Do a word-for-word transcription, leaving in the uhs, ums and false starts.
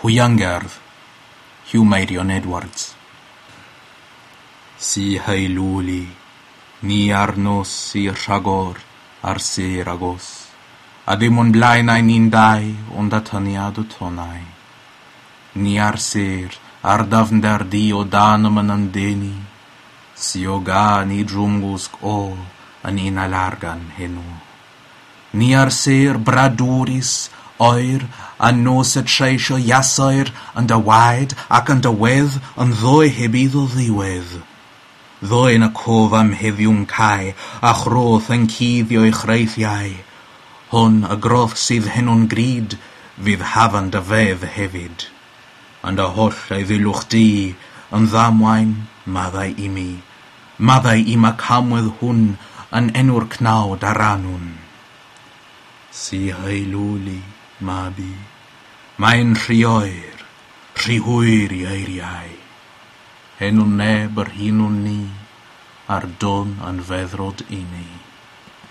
Hwiangerdd, Huw Meirion Edwards. Si heilwli, ni ar nos si rhagor a'r sêr agos, a dim o'n blaenau ni'n dau ond atyniad y tonnau. Ni a'r sêr, a'r dyfnder du o danom yn ymddenu, si o gân i drwmgwsg o yn un alargan heno. Ni a'r sêr bradwrus, oer, a nos y treisio iasoer yn dy waed ac yn dy wedd yn ddoe heb iddo ddiwedd. Ddoe yn y cof am heddiw'n cau, a chroth yn cuddio'i chreithiau. Hwn, y groth sydd heno'n grud, fydd hafan dy fedd hefyd. Yn dy holl eiddilwch di, yn ddamwain, maddau i mi. Maddau i ma camwedd hwn yn enw'r cnawd a rannwn. Si heilwli, mabi, mae'n rhy oer, rhy hwyr i eiriau. Henwn neb yr hunwn ni, a'r don yn feddrod i ni.